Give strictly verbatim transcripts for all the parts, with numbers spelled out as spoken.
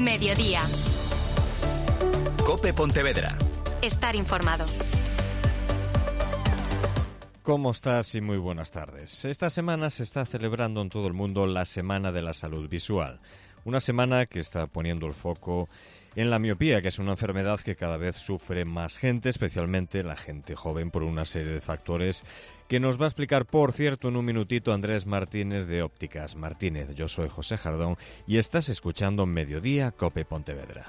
Mediodía. COPE Pontevedra. Estar informado. ¿Cómo estás? Y muy buenas tardes. Esta semana se está celebrando en todo el mundo la Semana de la Salud Visual. Una semana que está poniendo el foco en la miopía, que es una enfermedad que cada vez sufre más gente, especialmente la gente joven, por una serie de factores que nos va a explicar, por cierto, en un minutito Andrés Martínez de Ópticas Martínez. Yo soy José Jardón y estás escuchando Mediodía COPE Pontevedra.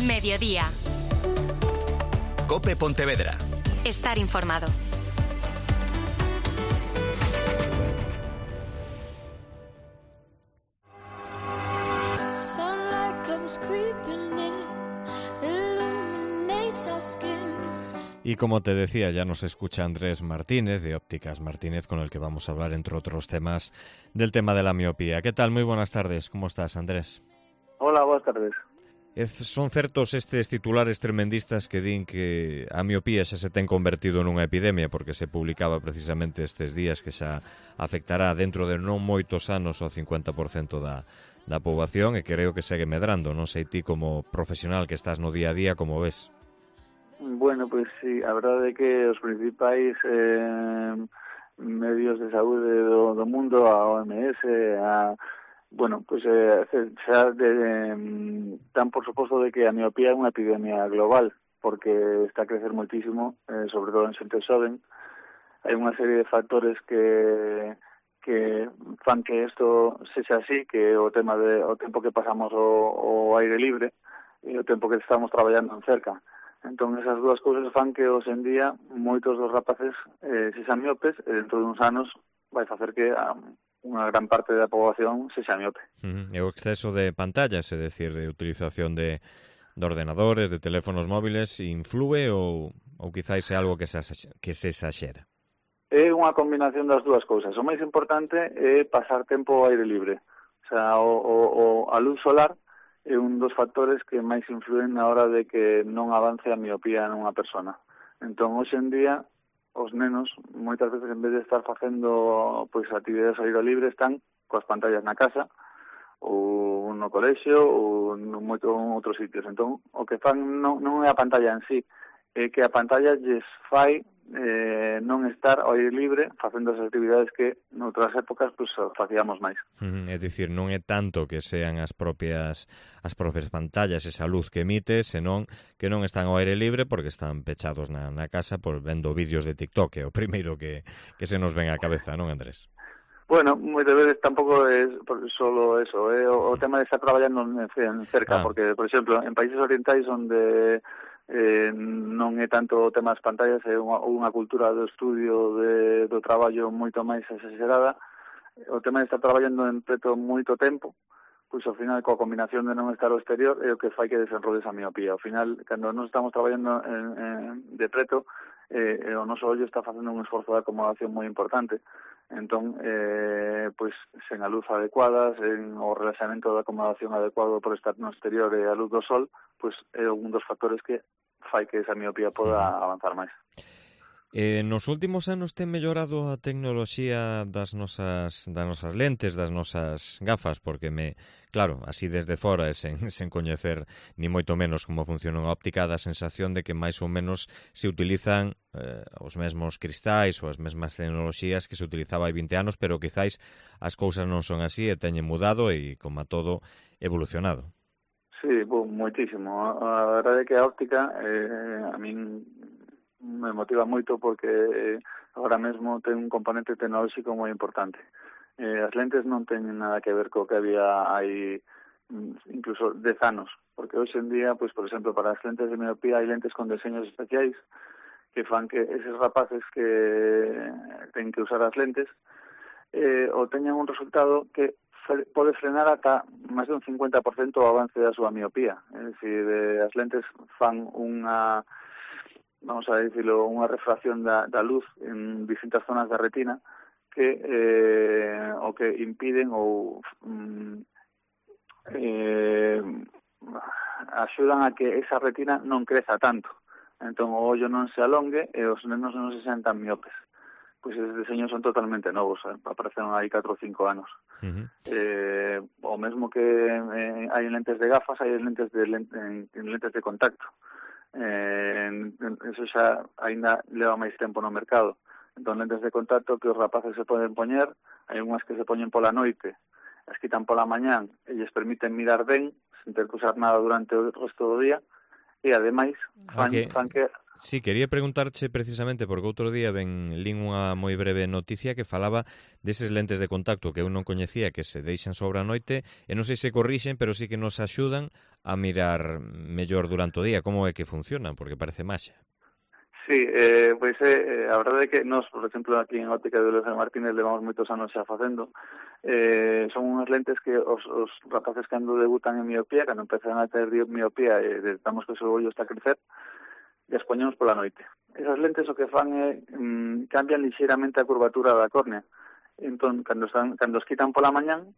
Mediodía. COPE Pontevedra. Estar informado. Y como te decía, ya nos escucha Andrés Martínez de Ópticas Martínez, con el que vamos a hablar, entre otros temas, del tema de la miopía. ¿Qué tal? Muy buenas tardes. ¿Cómo estás, Andrés? Hola, buenas tardes. Es, son certos estes titulares tremendistas que din que a miopía xa se ten convertido nunha epidemia, porque se publicaba precisamente estes días que xa afectará dentro de non moitos anos ao cincuenta por cento da, da poboación, e creo que segue medrando. Non sei ti, como profesional que estás no día a día, como ves? Bueno, pois pues, sí, a verdade é que os principais eh, medios de saúde do, do mundo, a O M S, a Bueno, pues eh, xa de, eh, dan por suposto de que a miopía é unha epidemia global, porque está a crecer moitísimo, eh, sobre todo en xente xoven. Hai unha serie de factores que que fan que isto sexa así, que o tema de o tempo que pasamos o, o aire libre e o tempo que estamos traballando en cerca. Entón, esas dúas cousas fan que hoxe en día moitos dos rapaces eh, sexan miopes, e dentro de uns anos vai facer que a unha gran parte da poboación sexa miope. Uh-huh. E o exceso de pantallas, é dicir, de utilización de, de ordenadores, de teléfonos móviles, influe ou, ou quizáis é algo que se, que se exaxera? É unha combinación das dúas cousas. O máis importante é pasar tempo ao aire libre. O sea, o, o, o, a luz solar é un dos factores que máis influen na hora de que non avance a miopía nunha persona. Entón, hoxe en día, os nenos, moitas veces, en vez de estar facendo pois actividades ao aire libre, están coas pantallas na casa, ou no colexio, ou en moito en outros sitios. Entón, o que fan non, non é a pantalla en sí, é que a pantalla lles fai eh, non estar ao aire libre facendo as actividades que noutras épocas pues, facíamos máis. Uh-huh. É dicir, non é tanto que sean as propias as propias pantallas, esa luz que emite, senón que non están ao aire libre porque están pechados na, na casa por vendo vídeos de TikTok, é o primeiro que, que se nos ven á cabeza, non, Andrés? Bueno, moitas veces tampouco é solo eso, é o, o tema de estar traballando en, en cerca, ah. porque, por exemplo, en países orientais onde eh, non é tanto o tema das pantallas, é unha, unha cultura do estudio de, do traballo moito máis exagerada. O tema de estar traballando en preto moito tempo, pois ao final, coa combinación de non estar ao exterior, é o que fai que desenrodes a miopía. Ao final, cando non estamos traballando en, en, de preto, eh, o noso ollo está facendo un esforzo de acomodación moi importante. Entón, eh, pois, sen a luz adecuada, sen o relaxamento da acomodación adecuado por estar no exterior e a luz do sol, pois é un dos factores que fai que esa miopía poda avanzar máis. Eh, nos últimos anos ten mellorado a tecnoloxía das nosas das nosas lentes, das nosas gafas, porque me, claro, así desde fora e sen, sen coñecer ni moito menos como funciona a óptica, dá a sensación de que máis ou menos se utilizan eh, os mesmos cristais ou as mesmas tecnoloxías que se utilizaba hai vinte anos, pero quizáis as cousas non son así e teñen mudado e, como a todo, evolucionado. Sí, bo, moitísimo. A verdade é que a óptica eh, a min me motiva moito porque eh, agora mesmo ten un componente tecnolóxico moi importante. Eh, as lentes non teñen nada que ver co que había hai incluso dez anos, porque hoxe en día, pues, por exemplo, para as lentes de miopía hai lentes con diseños especiais que fan que eses rapaces que ten que usar as lentes eh, o teñan un resultado que pode frenar ata máis de un cincuenta por cento o avance da súa miopía. É dicir, eh, as lentes fan unha, vamos a decirlo, unha refracción da, da luz en distintas zonas da retina que eh, o que impiden ou mm, eh, axudan a que esa retina non creza tanto. Entón, o ollo non se alongue e os nenos non se sean tan miopes. pois esos deseños son totalmente novos, eh? Apareceron hai catro ou cinco anos. Uh-huh. Eh, o mesmo que eh, hai en lentes de gafas, hai en lentes de, lente, en, en lentes de contacto. Eh, en, en, eso xa ainda leva máis tempo no mercado. Entón, lentes de contacto que os rapaces se poden poñer, hai unhas que se poñen pola noite, as quitan pola mañán, e lles permiten mirar ben, sen ter que usar nada durante o resto do día, e ademais fan, okay. fan que... Sí, quería preguntarche precisamente porque outro día ben lín unha moi breve noticia que falaba deses lentes de contacto que eu non coñecía, que se deixan sobre a noite e non sei se corrixen, pero sí que nos axudan a mirar mellor durante o día. Como é que funcionan? Porque parece maxia. Sí, eh, pois é, eh, a verdade é que nós, por exemplo, aquí en Óptica de Leonel Martínez levamos moitos anos xa facendo. Eh, son unhas lentes que os, os rapaces cando debutan en miopía, cando empezan a ter miopía e detectamos que o seu ollo está a crecer, e as poñemos pola noite. Esas lentes o que fan é mm, cambian lixeiramente a curvatura da córnea. Entón, cando, están, cando os quitan pola mañán,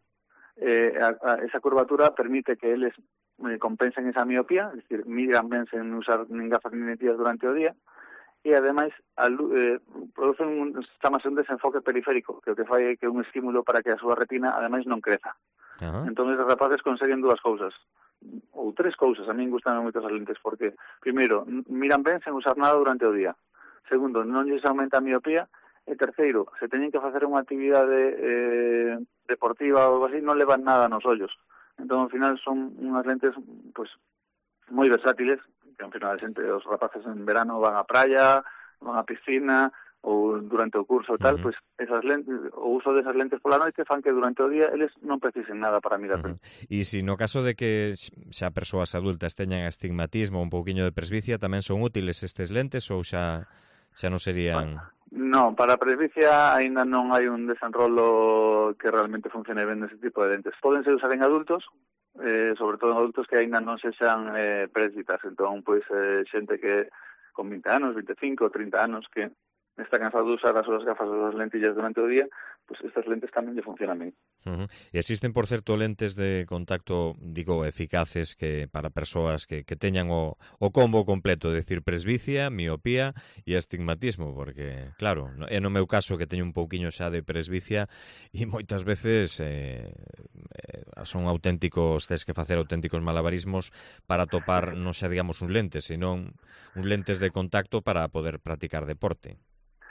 eh, a, a, esa curvatura permite que eles eh, compensen esa miopía, es decir, miran ben sen usar nin gafas nin lentillas durante o día, e ademais eh, producen un, chamase un desenfoque periférico, que o que fai é que un estímulo para que a súa retina ademais non creza. Uh-huh. Entón, os rapaces conseguen dúas cousas, ou tres cousas. A min gustan moito as lentes porque, primeiro, miran ben sen usar nada durante o día. Segundo, non lles aumenta a miopía. E terceiro, se teñen que facer unha actividade eh, deportiva ou algo así, non levan nada nos ollos. Entón, ao final, son unhas lentes pues, moi versátiles, que ao final os rapaces en verano van á praia, van á piscina, ou durante o curso e tal, uh-huh. Pois esas lentes, o uso desas lentes pola noite fan que durante o día eles non precisen nada para mirar ben. Uh-huh. E se no caso de que xa persoas adultas teñan astigmatismo ou un pouquiño de presbicia, tamén son útiles estes lentes ou xa xa non serían... Bueno, non, para a presbicia aínda non hai un desenrolo que realmente funcione ben nese tipo de lentes. Pódense usar en adultos, eh, sobre todo en adultos que aínda non se xan eh, presbitas, entón, pois, eh, xente que con vinte anos, veinticinco, trinta anos, que está cansado de usar as súas gafas ou as lentillas durante o día, pois pues estas lentes tamén lle funcionan ben. Uh-huh. E existen, por certo, lentes de contacto, digo, eficaces que para persoas que, que teñan o, o combo completo, é dicir, presbicia, miopía e astigmatismo, porque, claro, é no meu caso que teño un pouquiño xa de presbicia e moitas veces eh, eh, son auténticos, tes que facer auténticos malabarismos para topar, non xa digamos un lente, senón un lentes de contacto para poder practicar deporte.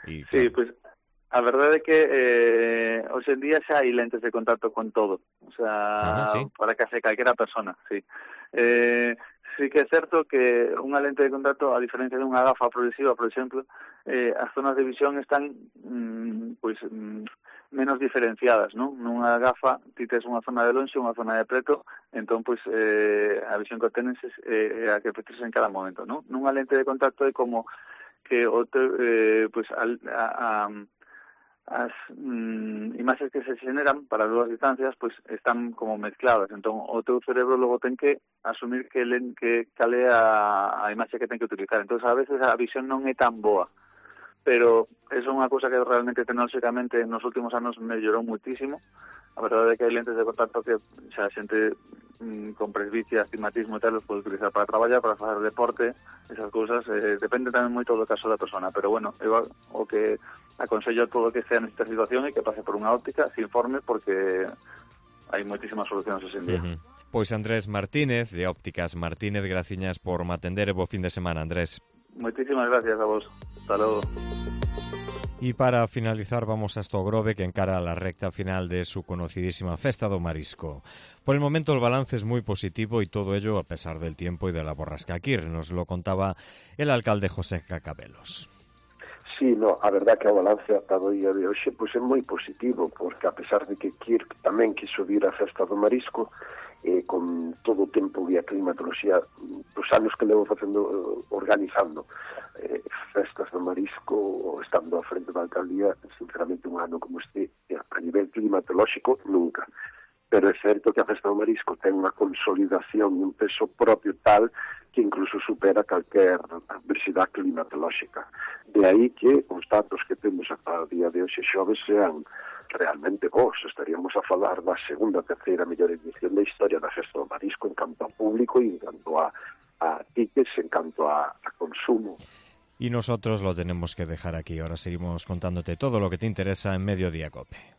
Y, claro. Sí, pois pues, a verdade é que eh, hoxe en día xa hai lentes de contacto con todo, o sea, ah, ¿sí? Para case calquera persona, sí. Eh, sí que é certo que unha lente de contacto, a diferencia de unha gafa progresiva, por exemplo, eh, as zonas de visión están mm, pois pues, mm, menos diferenciadas, non? Nunha gafa ti tes unha zona de lonxe, unha zona de preto, entón pois pues, eh, a visión que tenes é eh, a que precisas en cada momento, non? Nunha lente de contacto é como que o te, eh, pues, a, a, a, as mm, imaxes que se generan para dúas distancias pues, están como mezcladas. Entón, o teu cerebro logo ten que asumir que, len, que cale a, a imaxe que ten que utilizar. Entón, a veces a visión non é tan boa. Pero é unha cousa que realmente tecnolóxicamente nos últimos anos mellorou muitísimo. A verdade é que hai lentes de contacto que xa a xente mm, con presbicia, astigmatismo e tal os pode utilizar para traballar, para facer deporte, esas cousas. Eh, depende tamén moito do caso da persona, pero bueno, eu o que aconsello a todo que sea nesta situación é que pase por unha óptica, se informe, porque hai moitísimas solucións hoxe en día. Uh-huh. Pois Andrés Martínez, de Ópticas Martínez, graciñas por me atender e bo fin de semana, Andrés. Moitísimas gracias a vos. Hasta logo. Y para finalizar vamos hasta Ogrove, que encara la recta final de su conocidísima Festa do Marisco. Por el momento el balance es muy positivo y todo ello a pesar del tiempo y de la borrasca Kir. Nos lo contaba el alcalde José Cacabelos. Sí, no, a verdad que o balance ata do día de hoxe pois é moi positivo, porque a pesar de que Kir tamén quiso vir a Festa do Marisco, eh, con todo o tempo e a climatoloxía dos anos que levo facendo, organizando eh, festas do Marisco, estando á frente da alcaldía, sinceramente un ano como este, a nivel climatolóxico, nunca. Pero é certo que a Festa do Marisco ten unha consolidación e un peso propio tal que incluso supera calquer adversidade climatolóxica. De aí que os datos que temos ata o día de hoxe xoves sean realmente bons. Estaríamos a falar da segunda, terceira mellor edición da historia da Festa do Marisco en canto a público e en canto a, a tickets, en canto a, a consumo. Y nosotros lo tenemos que dejar aquí. Ahora seguimos contándote todo lo que te interesa en Mediodía COPE.